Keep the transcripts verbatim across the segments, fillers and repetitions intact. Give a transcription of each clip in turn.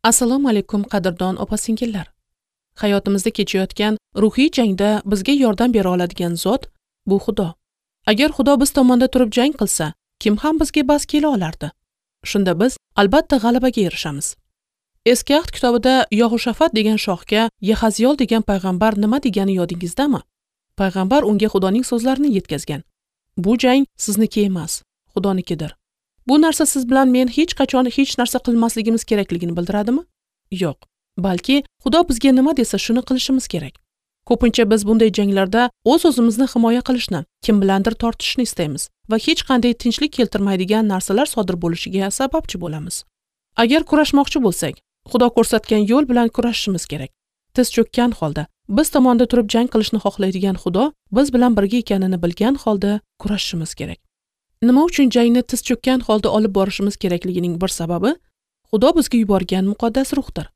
Assalomu alaykum qadrdon opa-singillar. Hayotimizda kechayotgan ruhiy jangda bizga yordam bera oladigan zot bu Xudo. Agar Xudo biz tomonda turib jang qilsa, kim ham bizga bas kela olardi? Shunda biz albatta g'alabaga erishamiz. Eski ahd kitobida Yahoshafat degan shohga Yahaziyol degan payg'ambar nima degani yodingizdami? Payg'ambar unga Xudoning so'zlarini yetkazgan. Bu jang sizniki emas, Xudonikidir. Bu narsa siz bilan men hech qachon hech narsa qilmasligimiz kerakligini bildiradimi? Yo'q, balki Xudo bizga nima desa shuni qilishimiz kerak. Ko'pincha biz bunday janglarda o'z-o'zimizni himoya qilishni, kim bilandir tortishishni istaymiz va hech qanday tinchlik keltirmaydigan narsalar sodir bo'lishiga sababchi bo'lamiz. Agar kurashmoqchi bo'lsak, Xudo ko'rsatgan yo'l bilan kurashishimiz kerak. Tiz cho'kkan holda, biz tomonda turib jang qilishni xohlaydigan Xudo biz bilan birga ekanini bilgan holda kurashishimiz kerak. Nima uchun jangni tiz cho'kkan holda olib borishimiz kerakligining bir sababi Xudo bizga yuborgan muqaddas ruhdir.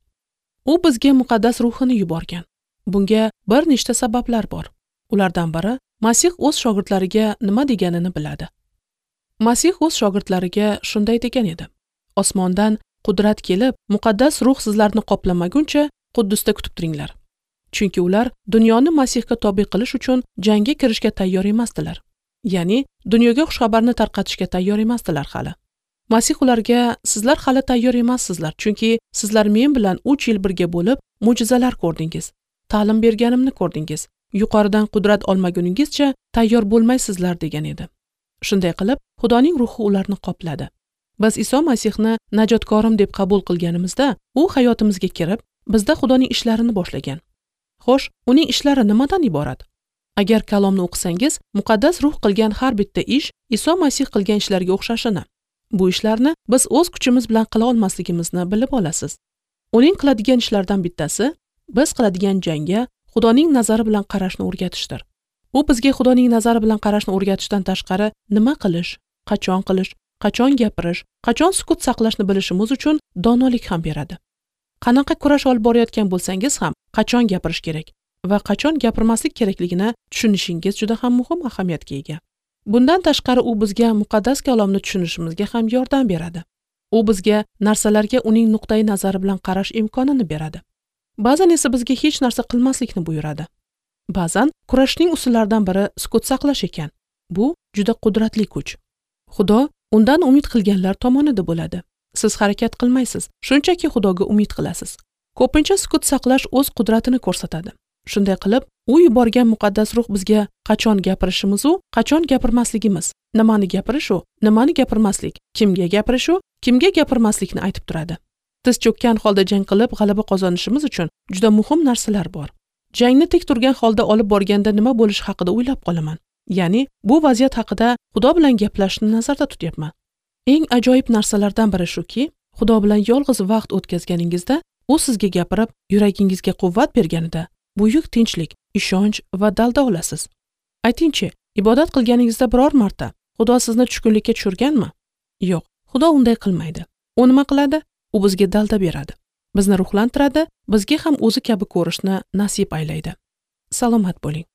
U bizga muqaddas ruhini yuborgan. Bunga bir nechta sabablar bor. Ulardan biri Masih o'z shogirdlariga nima deganini biladi. Masih o'z shogirdlariga shunday degan edi: Osmondan qudrat kelib, muqaddas ruh sizlarni qoplamaguncha Quddusda kutib turinglar. Chunki ular dunyoni Masihga tobe qilish uchun jangga kirishga tayyor emasdilar. Ya'ni dunyoga xushxabarni tarqatishga tayyor emasdilar hali. Masih ularga: sizlar hali tayyor emassizlar, chunki sizlar men bilan uch yil birga bo'lib mo'jizalar ko'rdingiz, ta'lim berganimni ko'rdingiz. Yuqoridan qudrat olmaguningizcha tayyor bo'lmaysizlar degan edi. Shunday qilib, Xudoning ruhi ularni qopladi. Biz Iso Masihni najotkorim deb qabul qilganimizda, u hayotimizga kirib, bizda Xudoning ishlarini boshlagan. Xo'sh, uning ishlari nimadan iborat? Agar kalomni o'qisangiz, muqaddas ruh qilgan har bitta ish Iso Masih qilgan ishlarga o'xshashini, bu ishlarni biz o'z kuchimiz bilan qila olmasligimizni bilib olasiz. Uning qiladigan ishlaridan bittasi biz qiladigan jangga Xudoning nazari bilan qarashni o'rgatishdir. U bizga Xudoning nazari bilan qarashni o'rgatishdan tashqari nima qilish, qachon qilish, qachon gapirish, qachon sukut saqlashni bilishimiz uchun donolik ham beradi. Qanaqa kurash olib borayotgan bo'lsangiz ham qachon gapirish kerak va qachon gapirmaslik kerakligini tushunishingiz juda ham muhim ahamiyatga ega. Bundan tashqari u bizga muqaddas kalomni tushunishimizga ham yordam beradi. U bizga narsalarga uning nuqtai nazari bilan qarash imkonini beradi. Ba'zan esa bizga hech narsa qilmaslikni buyuradi. Ba'zan kurashning usullaridan biri sukut saqlash ekan. Bu juda qudratli kuch. Xudo undan umid qilganlar tomonida bo'ladi. Siz harakat qilmaysiz, shunchaki Xudoga umid qilasiz. Ko'pincha sukut saqlash o'z qudratini ko'rsatadi. Shunday qilib, u yuborgan muqaddas ruh bizga qachon gapirishimiz u, qachon gapirmasligimiz, nimani gapirish u, nimani gapirmaslik, kimga gapirish u, kimga gapirmaslikni aytib turadi. Tiz cho'kkan holda jang qilib g'alaba qozonishimiz uchun juda muhim narsalar bor. Jangni tek turgan holda olib borganda nima bo'lishi haqida o'ylab qolaman. Ya'ni bu vaziyat haqida Xudo bilan gaplashishni nazarda tutyapman. Eng ajoyib narsalardan biri shuki, Xudo bilan yolg'iz vaqt o'tkazganingizda u sizga gapirib, yuragingizga quvvat berganida buyuk tinchlik, ishonch va dalda olasiz. Aytingchi, ibodat qilganingizda biror marta Xudo sizni tushkunlikka tushirganmi? Yo'q, Xudo unday qilmaydi. U nima qiladi? U bizga dalda beradi. Bizni ruhlantiradi, bizga ham o'zi kabi ko'rishni nasib aylaydi. Salomat bo'ling.